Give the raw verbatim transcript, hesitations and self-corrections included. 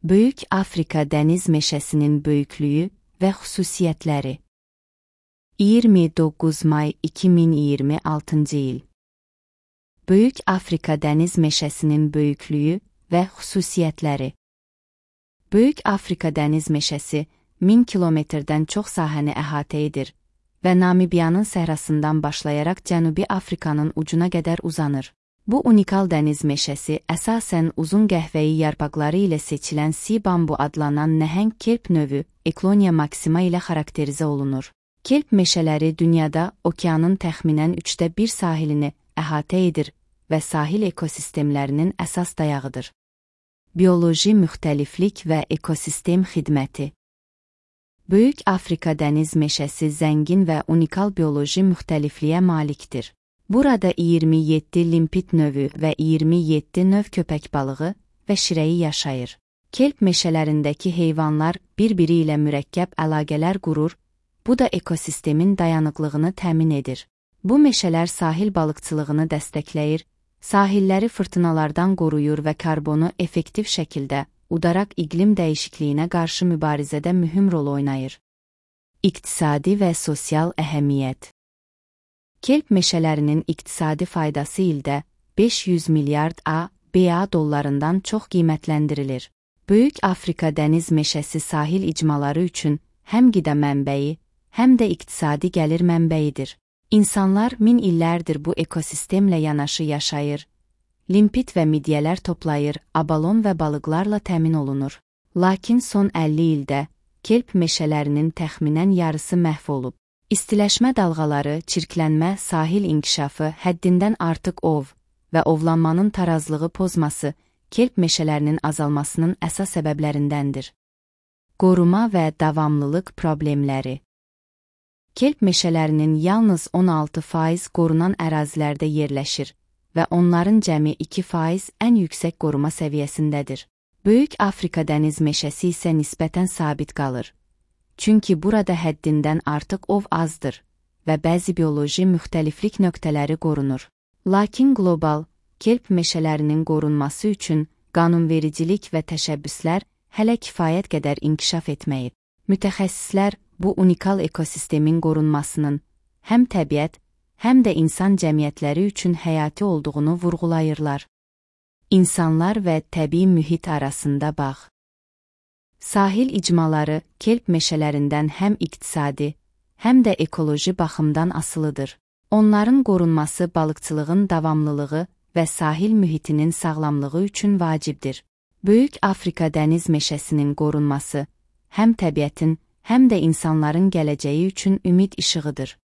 Böyük Afrika dəniz meşəsinin böyüklüyü və xüsusiyyətləri. iyirmi doqquz may iki min iyirmi altıncı il. Böyük Afrika dəniz meşəsinin böyüklüyü və xüsusiyyətləri. Böyük Afrika dəniz meşəsi min kilometrdən çox sahəni əhatə edir və Namibiyanın səhrasından başlayaraq Cənubi Afrikanın ucuna qədər uzanır. Bu unikal dəniz meşəsi əsasən uzun qəhvəyi yarpaqları ilə seçilən sea bambu adlanan nəhəng kelp növü Eklonia maxima ilə xarakterizə olunur. Kelp meşələri dünyada okeanın təxminən üçdə bir sahilini əhatə edir və sahil ekosistemlərinin əsas dayağıdır. Bioloji müxtəliflik və ekosistem xidməti. Böyük Afrika dəniz meşəsi zəngin və unikal bioloji müxtəlifliyə malikdir. Burada iyirmi yeddi limpit növü və iyirmi yeddi növ köpək balığı və şirəyi yaşayır. Kelp meşələrindəki heyvanlar bir-biri ilə mürəkkəb əlaqələr qurur, bu da ekosistemin dayanıqlığını təmin edir. Bu meşələr sahil balıqçılığını dəstəkləyir, sahilləri fırtınalardan qoruyur və karbonu effektiv şəkildə udaraq iqlim dəyişikliyinə qarşı mübarizədə mühüm rol oynayır. İqtisadi və sosial əhəmiyyət. Kelp meşələrinin iqtisadi faydası ildə beş yüz milyard A B A dollarından çox qiymətləndirilir. Böyük Afrika dəniz meşəsi sahil icmaları üçün həm qida mənbəyi, həm də iqtisadi gəlir mənbəyidir. İnsanlar min illərdir bu ekosistemlə yanaşı yaşayır. Limpit və midyələr toplayır, abalon və balıqlarla təmin olunur. Lakin son əlli ildə kelp meşələrinin təxminən yarısı məhv olub. İstiləşmə dalğaları, çirklənmə, sahil inkişafı, həddindən artıq ov və ovlanmanın tarazlığı pozması kelp meşələrinin azalmasının əsas səbəblərindəndir. Qoruma və davamlılıq problemləri. Kelp meşələrinin yalnız on altı faiz qorunan ərazilərdə yerləşir və onların cəmi iki faiz ən yüksək qoruma səviyyəsindədir. Böyük Afrika dəniz meşəsi isə nisbətən sabit qalır. Çünki burada həddindən artıq ov azdır və bəzi bioloji müxtəliflik nöqtələri qorunur. Lakin qlobal, kelp meşələrinin qorunması üçün qanunvericilik və təşəbbüslər hələ kifayət qədər inkişaf etməyib. Mütəxəssislər bu unikal ekosistemin qorunmasının həm təbiət, həm də insan cəmiyyətləri üçün həyati olduğunu vurğulayırlar. İnsanlar və təbii mühit arasında bağ. Sahil icmaları kelp meşələrindən həm iqtisadi, həm də ekoloji baxımdan asılıdır. Onların qorunması balıqçılığın davamlılığı və sahil mühitinin sağlamlığı üçün vacibdir. Böyük Afrika dəniz meşəsinin qorunması həm təbiətin, həm də insanların gələcəyi üçün ümid işığıdır.